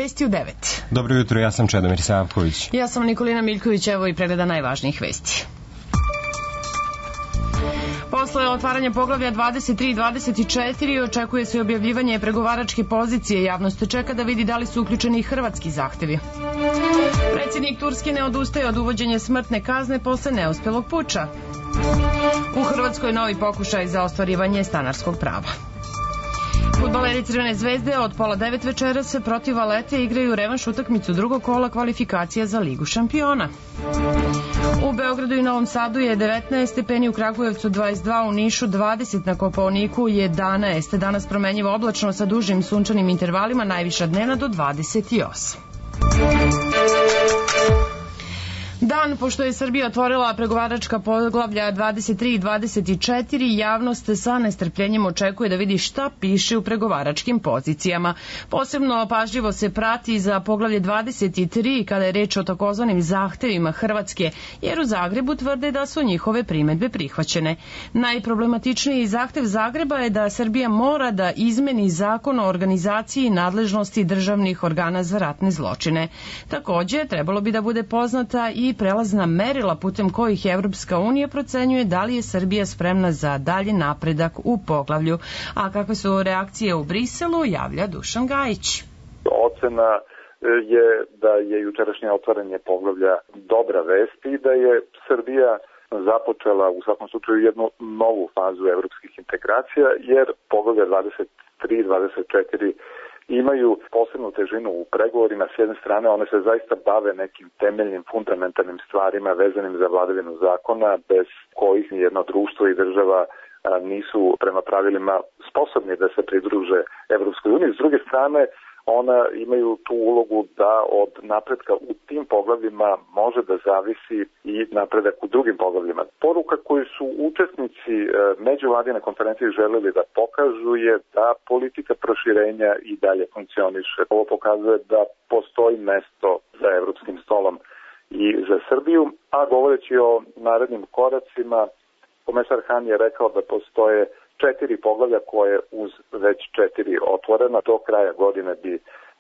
vesti u 9. Dobro jutro, ja sam Čedomir Savković. Ja sam Nikolina Miljković, evo i pregleda najvažnijih vesti. Posle otvaranja poglavlja 23 i 24 očekuje se objavljivanje pregovaračke pozicije. Javnost čeka da vidi da li su uključeni i hrvatski zahtevi. Predsjednik Turske ne odustaje od uvođenja smrtne kazne posle neuspelog puča. U Hrvatskoj novi pokušaj za ostvarivanje stanarskog prava. Fudbaleri Crvene zvezde od 8:30 večeras protiv Valete igraju revanš utakmicu drugog kola kvalifikacija za Ligu šampiona. U Beogradu i Novom Sadu je 19 stepeni, u Kragujevcu 22, u Nišu 20, na Kopaoniku 11. Danas promenjivo oblačno sa dužim sunčanim intervalima, najviša dnevna do 28. Dan pošto je Srbija otvorila pregovaračka poglavlja 23 i 24, javnost sa nestrpljenjem očekuje da vidi šta piše u pregovaračkim pozicijama. Posebno pažljivo se prati za poglavlje 23 kada je reč o takozvanim zahtevima Hrvatske, jer u Zagrebu tvrde da su njihove primedbe prihvaćene. Najproblematičniji zahtev Zagreba je da Srbija mora da izmeni zakon o organizaciji i nadležnosti državnih organa za ratne zločine. Takođe, trebalo bi da bude poznata i prelazna merila putem kojih Evropska unija procenjuje da li je Srbija spremna za dalji napredak u poglavlju. A kakve su reakcije u Briselu, javlja Dušan Gajić. Ocena je da je jučerašnje otvaranje poglavlja dobra vest i da je Srbija započela u svakom slučaju jednu novu fazu evropskih integracija, jer poglavlja 23 i 24 imaju posebnu težinu u pregovorima. S jedne strane, one se zaista bave nekim temeljnim, fundamentalnim stvarima vezanim za vladavinu zakona, bez kojih nijedno društvo i država nisu prema pravilima sposobni da se pridruže Evropskoj uniji. S druge strane, ona imaju tu ulogu da od napretka u tim poglavljima može da zavisi i napredak u drugim poglavljima. Poruka koju su učesnici međuvladine konferencije želeli da pokažu je da politika proširenja i dalje funkcioniše. Ovo pokazuje da postoji mesto za evropskim stolom i za Srbiju, a govoreći o narednim koracima, komesar Han je rekao da postoje 4 poglavlja koje uz već 4 otvorena do kraja godine bi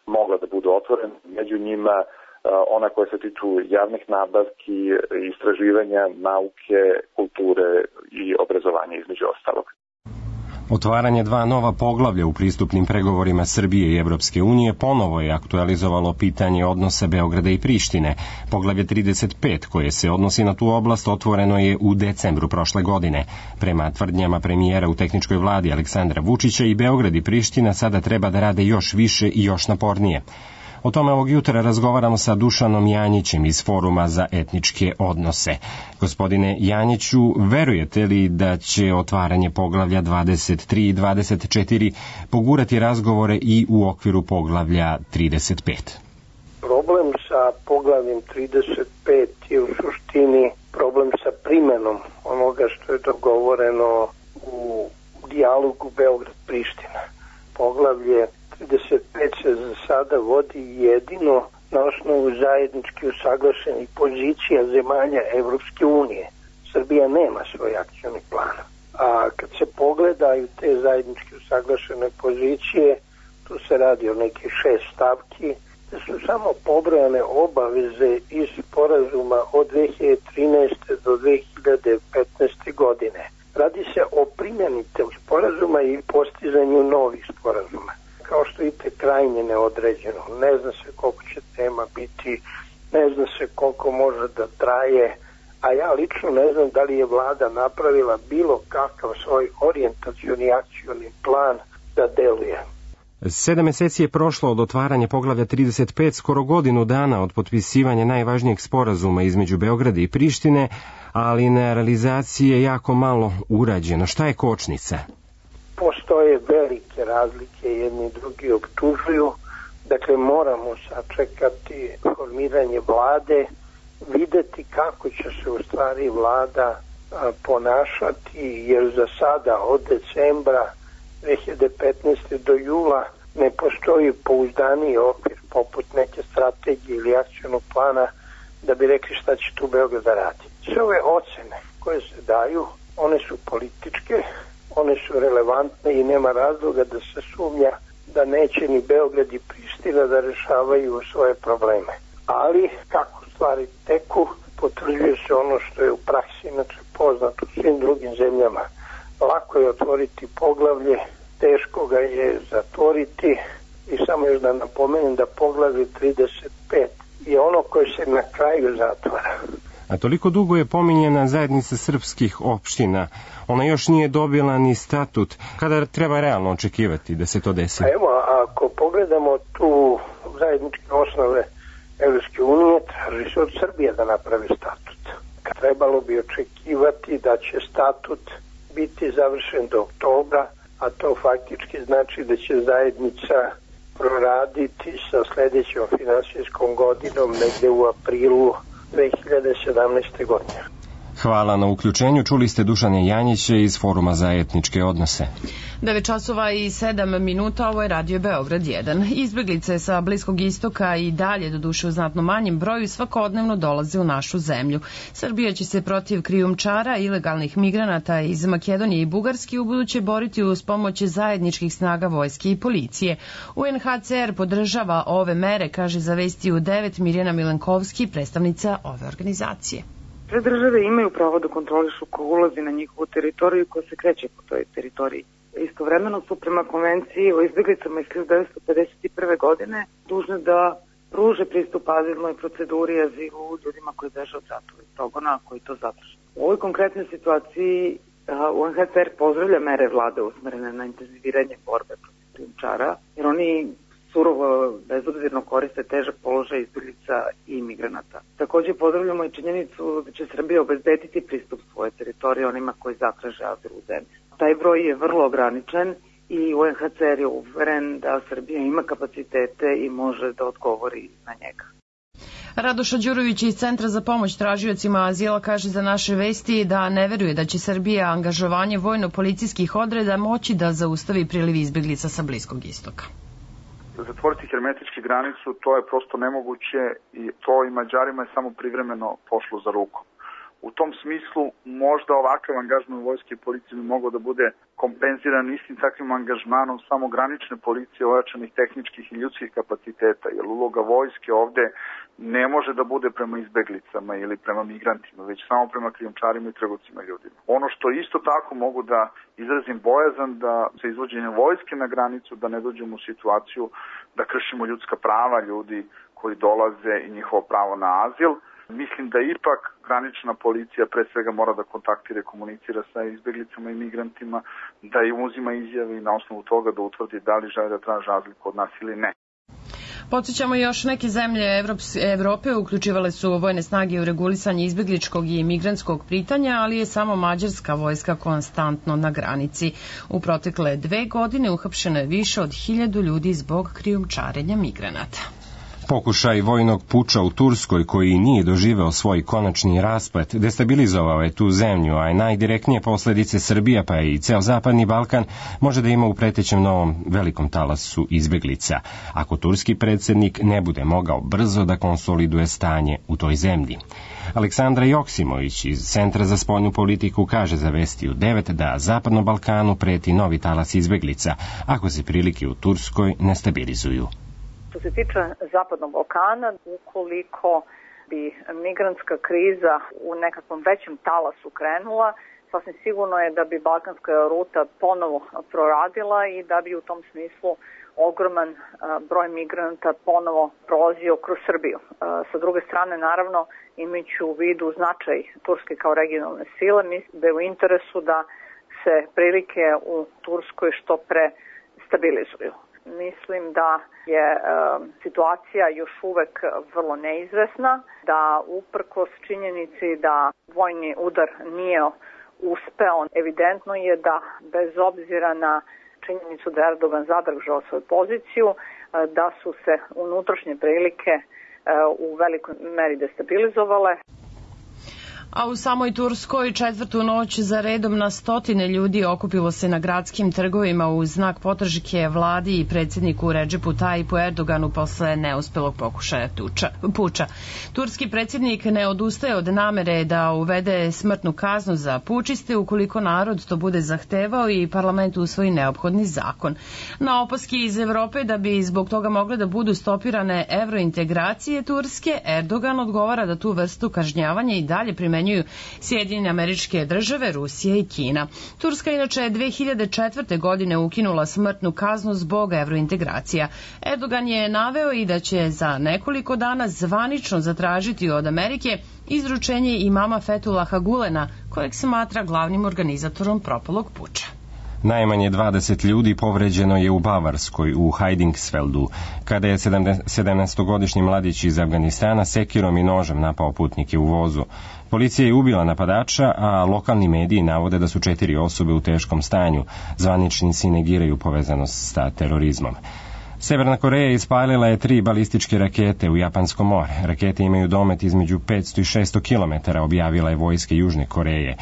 mogla da budu otvorena. Među njima ona koja se tiču javnih nabavki, istraživanja, nauke, kulture i obrazovanja između ostalog. Otvaranje 2 nova poglavlja u pristupnim pregovorima Srbije i Evropske unije ponovo je aktualizovalo pitanje odnosa Beograda i Prištine. Poglavlje 35, koje se odnosi na tu oblast, otvoreno je u decembru prošle godine. Prema tvrdnjama premijera u tehničkoj vladi Aleksandra Vučića, i Beograd i Priština sada treba da rade još više i još napornije. O tome ovog jutra razgovaramo sa Dušanom Janjićem iz Foruma za etničke odnose. Gospodine Janjiću, verujete li da će otvaranje poglavlja 23 i 24 pogurati razgovore i u okviru poglavlja 35? Problem sa poglavljem 35 je u suštini problem sa primenom onoga što je dogovoreno u dijalogu Beograd-Priština. Poglavlje 35 se za sada vodi jedino na osnovu zajednički usaglašenih pozicija zemalja Evropske unije. Srbija nema svoj akcioni plan. A kad se pogledaju te zajednički usaglašene pozicije, tu se radi o nekih 6 stavki, da su samo pobrojane obaveze iz sporazuma od 2013. do 2015. godine. Radi se o primjeni tog sporazuma i postizanju novih sporazuma. Kao što vidite, krajnje neodređeno. Ne zna se koliko će tema biti, ne zna se koliko može da traje, a ja lično ne znam da li je vlada napravila bilo kakav svoj orijentacioni akcioni plan da deluje. 7 meseci je prošlo od otvaranja poglavlja 35, skoro godinu dana od potpisivanja najvažnijeg sporazuma između Beograda i Prištine, ali na realizaciji je jako malo urađeno. Šta je kočnica? Postoje velike razlike, jedni i drugi optužuju, dakle moramo sačekati formiranje vlade, videti kako će se u stvari vlada ponašati, jer za sada od decembra 2015. do jula ne postoji pouzdaniji okvir poput neke strategije ili akcionog plana da bi rekli šta će tu Beograd da radi. Sve ove ocene koje se daju, one su političke, one su relevantne i nema razloga da se sumnja da neće ni Beograd i Priština da rešavaju svoje probleme. Ali kako stvari teku, potvrđuje se ono što je u praksi inače poznato u svim drugim zemljama. Lako je otvoriti poglavlje, teško ga je zatvoriti i samo još da napomenem da poglavlje 35 je ono koje se na kraju zatvara. A toliko dugo je pominjena zajednica srpskih opština. Ona još nije dobila ni statut. Kada treba realno očekivati da se to desi? Evo, ako pogledamo tu zajedničke osnove Evropske unije, traži se od Srbije da napravi statut. Trebalo bi očekivati da će statut biti završen do oktobra, a to faktički znači da će zajednica proraditi sa sledećom finansijskom godinom negde u aprilu 2017. godine. Hvala na uključenju. Čuli ste Dušana Janjića iz Foruma za etničke odnose. 9 časova i 7 minuta, ovo je Radio Beograd 1. Izbeglice sa Bliskog istoka i dalje, doduše u znatno manjem broju, svakodnevno dolaze u našu zemlju. Srbija će se protiv krijumčara, ilegalnih migranata iz Makedonije i Bugarske ubuduće boriti uz pomoć zajedničkih snaga vojske i policije. UNHCR podržava ove mere, kaže za Vesti u 9 Mirjana Milenkovski, predstavnica ove organizacije. Sve države imaju pravo da kontrolišu ko ulazi na njihovu teritoriju i ko se kreće po toj teritoriji. Istovremeno su prema konvenciji o izbjeglicama iz 1951. godine dužne da pruže pristup azilnoj proceduri i azilu ljudima koji beže od ratova i progona, koji to zatraže. U ovoj konkretnoj situaciji UNHCR pozdravlja mere vlade usmerene na intenziviranje borbe protiv krijumčara, jer oni surovo, bezobzirno koriste težak položaj izbjeglica i migranata. Također pozdravljamo i činjenicu da će Srbija obezbediti pristup svoje teritorije onima koji zatraže azil u zemlji. Taj broj je vrlo ograničen i UNHCR je uveren da Srbija ima kapacitete i može da odgovori na njega. Radoša Đurović iz Centra za pomoć tražiocima azila kaže za naše Vesti da ne veruje da će Srbija angažovanje vojno-policijskih odreda moći da zaustavi priliv izbjeglica sa Bliskog istoka. Zatvoriti hermetički granicu, to je prosto nemoguće i to i Mađarima je samo privremeno pošlo za rukom. U tom smislu možda ovakav angažman vojske i policije bi mogao da bude kompenziran istim takvim angažmanom samo granične policije, ojačanih tehničkih i ljudskih kapaciteta, jer uloga vojske ovde ne može da bude prema izbeglicama ili prema migrantima, već samo prema krijumčarima i trgovcima ljudima. Ono što isto tako mogu da izrazim bojazan da sa izvođenjem vojske na granicu da ne dođemo u situaciju da kršimo ljudska prava ljudi koji dolaze i njihovo pravo na azil. Mislim da ipak granična policija pre svega mora da kontaktira i komunicira sa izbeglicama i migrantima, da im uzima izjave i na osnovu toga da utvrdi da li žele da traže azil kod nas ili ne. Podsjećamo, još neke zemlje Evrope uključivale su vojne snage u regulisanje izbegličkog i migrantskog pitanja, ali je samo mađarska vojska konstantno na granici. U protekle 2 godine uhapšeno je više od 1000 ljudi zbog krijumčarenja migranata. Pokušaj vojnog puča u Turskoj, koji nije doživeo svoj konačni rasplet, destabilizovao je tu zemlju, a najdirektnije posledice Srbija pa i ceo Zapadni Balkan može da ima u pretećem novom velikom talasu izbeglica, ako turski predsjednik ne bude mogao brzo da konsoliduje stanje u toj zemlji. Aleksandra Joksimović iz Centra za spoljnu politiku kaže za Vesti u 9 da Zapadnom Balkanu preti novi talas izbeglica, ako se prilike u Turskoj ne stabilizuju. Što se tiče Zapadnog Balkana, ukoliko bi migrantska kriza u nekakvom većem talasu krenula, sasvim sigurno je da bi balkanska ruta ponovo proradila i da bi u tom smislu ogroman broj migranata ponovo prolazio kroz Srbiju. Sa druge strane, naravno, imajući u vidu značaj Turske kao regionalne sile, mislim da je u interesu da se prilike u Turskoj što pre stabilizuju. Mislim da je situacija još uvek vrlo neizvesna, da uprkos činjenici da vojni udar nije uspeo, evidentno je da bez obzira na činjenicu da je Erdogan zadržao svoju poziciju, da su se unutrašnje prilike u velikoj meri destabilizovale. A u samoj Turskoj četvrtu noć za redom na stotine ljudi okupilo se na gradskim trgovima u znak podrške vladi i predsjedniku Redžepu Tajipu Erdoganu posle neuspelog pokušaja puča. Turski predsjednik ne odustaje od namere da uvede smrtnu kaznu za pučiste ukoliko narod to bude zahtevao i parlament usvoji neophodni zakon. Na opaski iz Evrope da bi zbog toga mogle da budu stopirane evrointegracije Turske, Erdogan odgovara da tu vrstu kažnjavanja i dalje primenjuju Sjedinjene Američke Države, Rusija i Kina. Turska inače je 2004. godine ukinula smrtnu kaznu zbog evrointegracija. Erdogan je naveo i da će za nekoliko dana zvanično zatražiti od Amerike izručenje imama Fethullaha Gulena, kojeg smatra glavnim organizatorom propalog puča. Najmanje 20 ljudi povređeno je u Bavarskoj, u Heidingsfeldu, kada je 17-godišnji mladić iz Afganistana sekirom i nožem napao putnike u vozu. Policija je ubila napadača, a lokalni mediji navode da su 4 osobe u teškom stanju. Zvaničnici negiraju povezanost sa terorizmom. Severna Koreja ispalila je 3 balističke rakete u Japansko more. Rakete imaju domet između 500 i 600 km, objavila je vojska Južne Koreje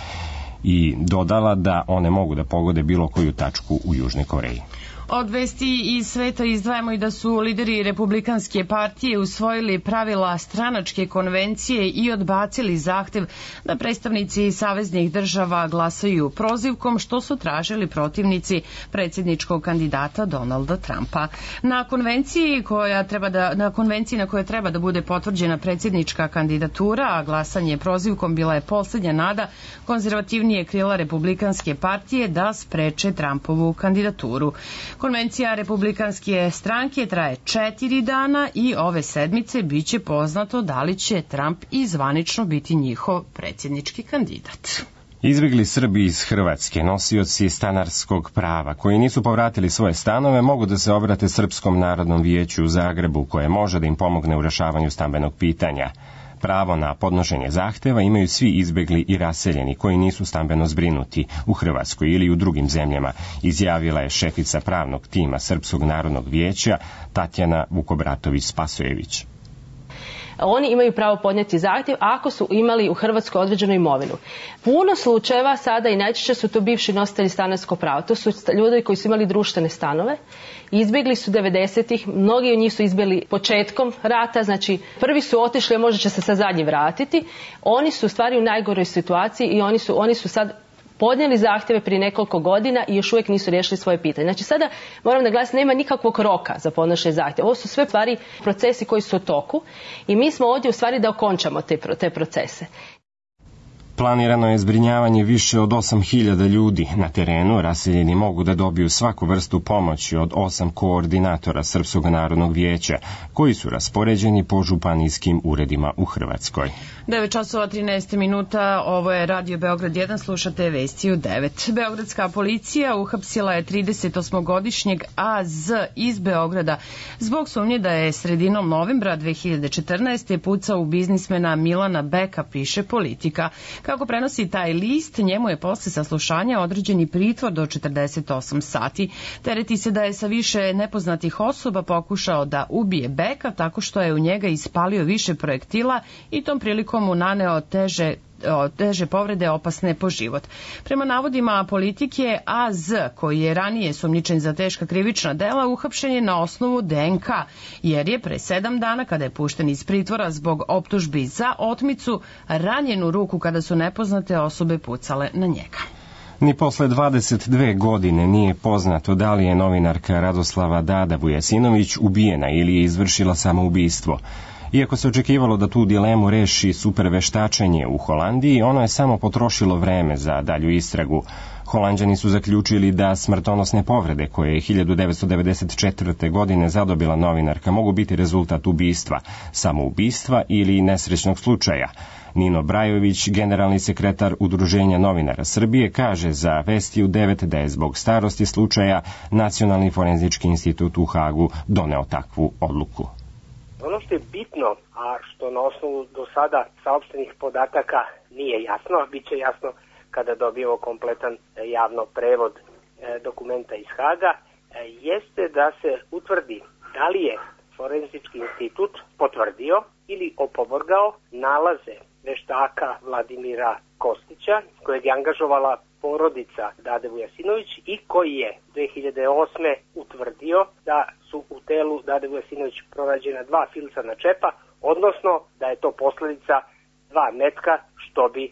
i dodala da one mogu da pogode bilo koju tačku u Južnoj Koreji. Od vesti iz sveta izdvajamo i da su lideri Republikanske partije usvojili pravila stranačke konvencije i odbacili zahtev da predstavnici saveznih država glasaju prozivkom, što su tražili protivnici predsjedničkog kandidata Donalda Trumpa. Na konvenciji na kojoj treba da bude potvrđena predsjednička kandidatura, a glasanje prozivkom bila je posljednja nada konzervativnije krila Republikanske partije da spreče Trumpovu kandidaturu. Konvencija Republikanske stranke traje 4 dana i ove sedmice biće poznato da li će Trump i zvanično biti njihov predsjednički kandidat. Izbjegli Srbi iz Hrvatske, nosioci stanarskog prava, koji nisu povratili svoje stanove, mogu da se obrate Srpskom narodnom vijeću u Zagrebu, koje može da im pomogne u rešavanju stambenog pitanja. Pravo na podnošenje zahteva imaju svi izbegli i raseljeni koji nisu stambeno zbrinuti u Hrvatskoj ili u drugim zemljama, izjavila je šefica pravnog tima Srpskog narodnog vijeća Tatjana Vukobratović-Spasojević. Oni imaju pravo podnijeti zahtjev ako su imali u Hrvatskoj određenu imovinu. Puno slučajeva sada i najčešće su to bivši nositelji stanarskog prava. To su ljudi koji su imali društvene stanove. Izbjegli su 90-ih, mnogi od njih su izbjegli početkom rata, znači prvi su otišli, a možda će se sad zadnji vratiti. Oni su u stvari u najgoroj situaciji i oni su sad podnijeli zahtjeve prije nekoliko godina i još uvijek nisu riješili svoje pitanje. Znači sada moram naglasiti, nema nikakvog roka za podnošenje zahtjeva. Ovo su sve stvari procesi koji su u toku i mi smo ovdje u stvari da okončamo te procese. Planirano je zbrinjavanje više od 8.000 ljudi na terenu. Raseljeni mogu da dobiju svaku vrstu pomoći od 8 koordinatora Srpskog narodnog vijeća, koji su raspoređeni po županijskim uredima u Hrvatskoj. 9:13, ovo je Radio Beograd 1, slušate vesti u 9. Beogradska policija uhapsila je 38-godišnjeg AZ iz Beograda zbog sumnje da je sredinom novembra 2014. pucao u biznismena Milana Beka, piše Politika. Kako prenosi taj list, njemu je posle saslušanja određeni pritvor do 48 sati. Tereti se da je sa više nepoznatih osoba pokušao da ubije Beka tako što je u njega ispalio više projektila i tom prilikom mu naneo teže povrede opasne po život. Prema navodima Politike, AZ, koji je ranije sumnjičen za teška krivična dela, uhapšen je na osnovu DNK, jer je pre 7 dana, kada je pušten iz pritvora zbog optužbi za otmicu, ranjen u ruku kada su nepoznate osobe pucale na njega. Ni posle 22 godine nije poznato da li je novinarka Radoslava Dada Vujasinović ubijena ili je izvršila samoubistvo. Iako se očekivalo da tu dilemu reši superveštačenje u Holandiji, ono je samo potrošilo vreme za dalju istragu. Holanđani su zaključili da smrtonosne povrede koje je 1994. godine zadobila novinarka mogu biti rezultat ubistva, samoubistva ili nesrećnog slučaja. Nino Brajović, generalni sekretar Udruženja novinara Srbije, kaže za Vesti u 9 da je zbog starosti slučaja Nacionalni forenzički institut u Hagu doneo takvu odluku. Ono što je bitno, a što na osnovu do sada saopštenih podataka nije jasno, a bit će jasno kada dobijemo kompletan javno prevod dokumenta iz Haga, jeste da se utvrdi da li je Forenzički institut potvrdio ili opovrgao nalaze veštaka Vladimira Kostića, kojeg je angažovala porodica Dade Vujasinović i koji je 2008. utvrdio da su u telu Dade Vujasinović pronađena 2 filcana čepa, odnosno da je to posledica 2 metka, što bi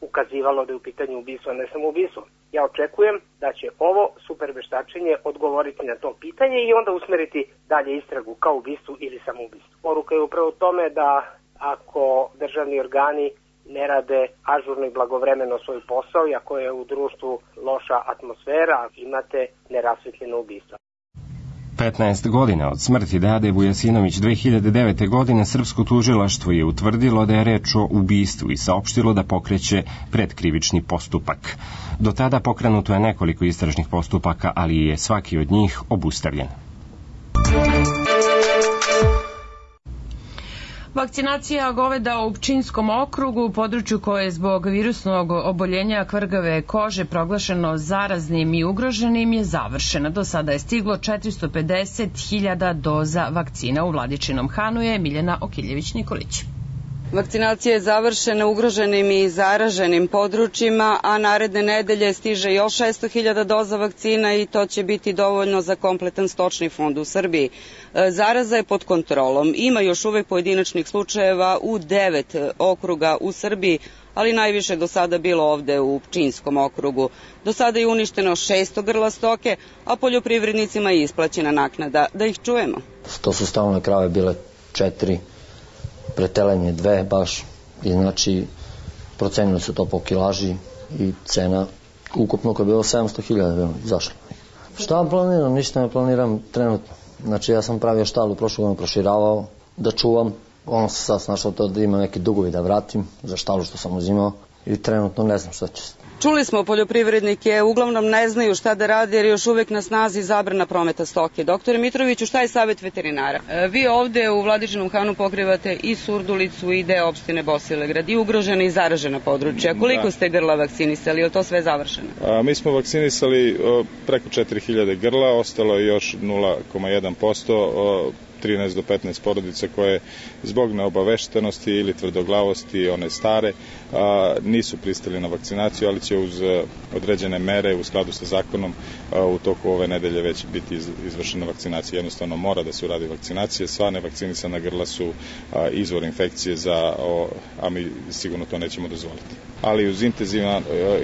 ukazivalo da je u pitanju ubistvo, a ne samoubistvo. Ja očekujem da će ovo superveštačenje odgovoriti na to pitanje i onda usmeriti dalje istragu kao ubistvu ili samoubistvu. Poruka je upravo u tome da ako državni organi ne rade ažurno i blagovremeno svoj posao i ako je u društvu loša atmosfera, imate nerasvetljeno ubistvo. 15 godina od smrti Dade Vujasinović 2009. godine srpsko tužilaštvo je utvrdilo da je reč o ubistvu i saopštilo da pokreće predkrivični postupak. Do tada pokrenuto je nekoliko istražnih postupaka, ali je svaki od njih obustavljen. Vakcinacija goveda u Pčinjskom okrugu, u području koje je zbog virusnog oboljenja kvrgave kože proglašeno zaraznim i ugroženim, je završena. Do sada je stiglo 450.000 doza vakcina. U Vladičinom Hanu je Miljana Okiljević-Nikolić. Vakcinacija je završena ugroženim i zaraženim područjima, a naredne nedelje stiže još 600.000 doza vakcina i to će biti dovoljno za kompletan stočni fond u Srbiji. Zaraza je pod kontrolom. Ima još uvek pojedinačnih slučajeva u 9 okruga u Srbiji, ali najviše do sada bilo ovde u Pčinjskom okrugu. Do sada je uništeno 600 grla stoke, a poljoprivrednicima je isplaćena naknada. Da ih čujemo. To su stalne krave bile 4, pretelenje 2 baš, i znači procenili su to po kilaži i cena ukupno koja je bilo 700.000 zašla. Šta planiram? Ništa ne planiram trenutno. Znači ja sam pravio štalu prošlu godinu, proširavao da čuvam, ono sam sad snašao to da imam neke dugovi da vratim za štalu što sam uzimao i trenutno ne znam šta će se. Čuli smo, poljoprivrednike uglavnom ne znaju šta da rade jer još uvek na snazi zabrana prometa stoke. Doktore Mitroviću, šta je savjet veterinara? Vi ovde u Vladičinom Hanu pokrivate i Surdulicu i deo opštine Bosilegrad i ugrožena i zaražena područja. Koliko ste grla vakcinisali? Je li to sve završeno? Mi smo vakcinisali preko 4.000 grla, ostalo je još 0,1%, 13 do 15 porodica koje zbog neobaveštenosti ili tvrdoglavosti, one stare, nisu pristali na vakcinaciju, ali će uz određene mere u skladu sa zakonom u toku ove nedelje već biti izvršena vakcinacija. Jednostavno mora da se uradi vakcinacija. Sva nevakcinisana grla su izvor infekcije, a mi sigurno to nećemo dozvoliti. Ali uz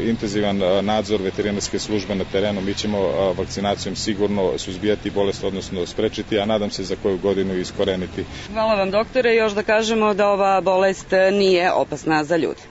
intenzivan nadzor veterinarske službe na terenu mi ćemo vakcinacijom sigurno suzbijati bolest, odnosno sprečiti, a nadam se za koju godinu iskoreniti. Hvala vam, doktore. Još da kažemo da ova bolest nije opasna za ljude.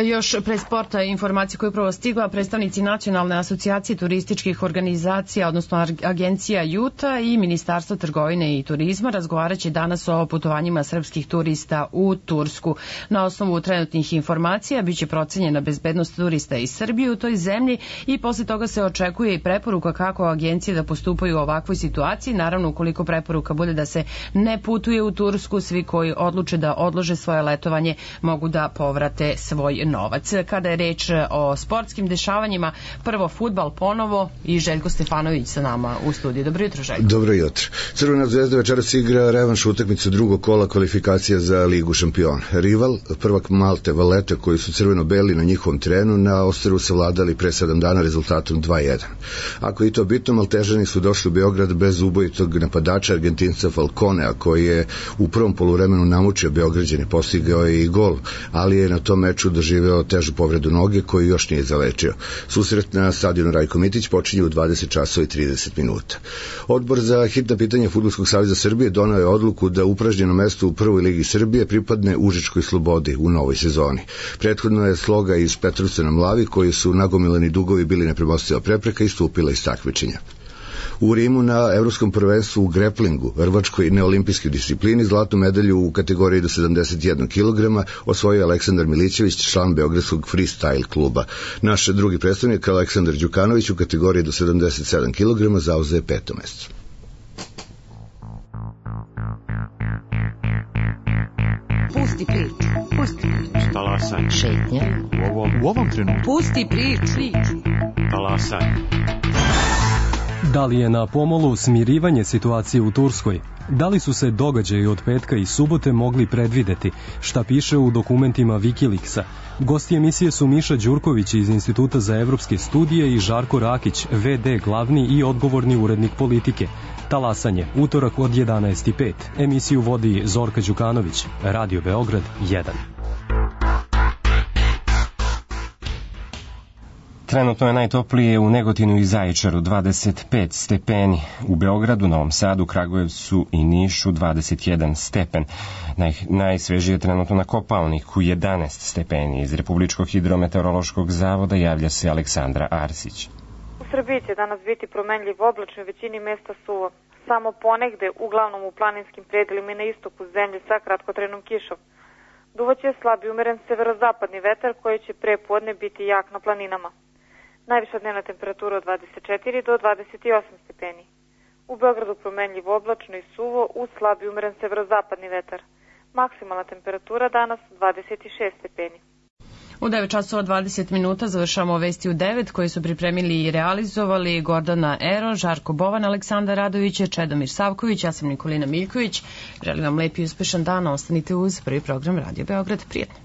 Još pre sporta informacije koje je upravo stigla, predstavnici Nacionalne asocijacije turističkih organizacija, odnosno agencija JUTA i Ministarstvo trgovine i turizma razgovarat će danas o putovanjima srpskih turista u Tursku. Na osnovu trenutnih informacija biće procenjena bezbednost turista iz Srbije u toj zemlji i posle toga se očekuje i preporuka kako agencije da postupaju u ovakvoj situaciji. Naravno, ukoliko preporuka bude da se ne putuje u Tursku, svi koji odluče da odlože svoje letovanje mogu da povrate svoj novac. Kada je reč o sportskim dešavanjima, prvo fudbal ponovo i Željko Stefanović sa nama u studiju. Dobro jutro, Željko. Dobro jutro. Crvena zvezda večeras igra revanš utakmicu drugog kola kvalifikacija za Ligu šampiona. Rival, prvak Malte Valeta, koji su crveno-beli na njihovom terenu, na Osteru savladali pre 7 dana rezultatom 2-1. Ako je to bitno, Maltežani su došli u Beograd bez ubojitog napadača Argentinca Falconea, koji je u prvom poluvremenu namučio Beograđane, postigao je i gol, ali je na tom meču doživeo težu povredu noge koju još nije zalečio. Susret na stadionu Rajko Mitić počinje u 20 časova i 30 minuta. Odbor za hitna pitanja Fudbalskog saveza Srbije donao je odluku da upražnjeno mesto u prvoj ligi Srbije pripadne Užičkoj Slobodi u novoj sezoni. Prethodno je Sloga iz Petrovca na Mlavi, koji su nagomilani dugovi bili nepremostiva prepreka, istupila iz takmičenja. U Rimu na evropskom prvenstvu u greplingu, rvačkoj neolimpijskoj disciplini, zlatnu medalju u kategoriji do 71 kg osvojio Aleksandar Milićević, član Beogradskog freestyle kluba. Naš drugi predstavnik Aleksandar Đukanović u kategoriji do 77 kg zauzeo 5. mesto. Pusti priču. Pusti priču. Talasaj. Šetnja. U ovom trenutku. Pusti priču. Talasaj. Da li je na pomolu smirivanje situacije u Turskoj? Da li su se događaji od petka i subote mogli predvideti? Šta piše u dokumentima Wikileaksa? Gosti emisije su Miša Đurković iz Instituta za evropske studije i Žarko Rakić, VD glavni i odgovorni urednik Politike. Talasanje, utorak od 11:05. Emisiju vodi Zorka Đukanović, Radio Beograd 1. Trenutno je najtoplije u Negotinu i Zaječaru 25 stepeni, u Beogradu, Novom Sadu, Kragujevcu i Nišu 21 stepen. Najsvežije je trenutno na Kopaoniku 11 stepeni. Iz Republičkog hidrometeorološkog zavoda javlja se Aleksandra Arsić. U Srbiji će danas biti promenljiv oblačno, u većini mesta suvo. Samo ponegde, uglavnom u planinskim predelima i na istoku zemlje sa kratkotrenom kišom. Duvaće slab i umeren severozapadni vetar koji će pre podne biti jak na planinama. Najviša dnevna temperatura od 24 do 28 stepeni. U Beogradu promenljivo oblačno i suvo uz slab i umeren severozapadni vetar. Maksimalna temperatura danas 26 stepeni. U 9 časova 20 minuta završamo vesti u 9 koje su pripremili i realizovali Gordana Ero, Žarko Bovan, Aleksandar Radović, Čedomir Savković, ja sam Nikolina Miljković. Želim vam lep i uspešan dan, ostanite uz prvi program Radio Beograd. Prijetno.